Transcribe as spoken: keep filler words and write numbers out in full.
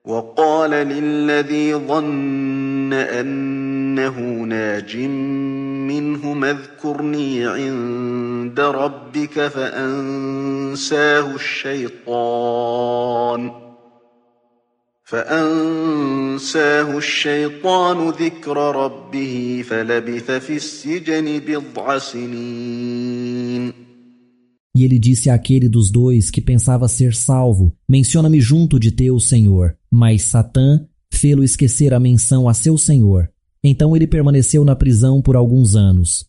وقال للذي ظن أنه ناج منهما اذكرني عند ربك فأنساه الشيطان فأنساه الشيطان ذكر ربه فلبث في السجن بضع سنين. E ele disse àquele dos dois que pensava ser salvo: menciona-me junto de teu Senhor. Mas Satã fê-lo esquecer a menção a seu Senhor. Então ele permaneceu na prisão por alguns anos.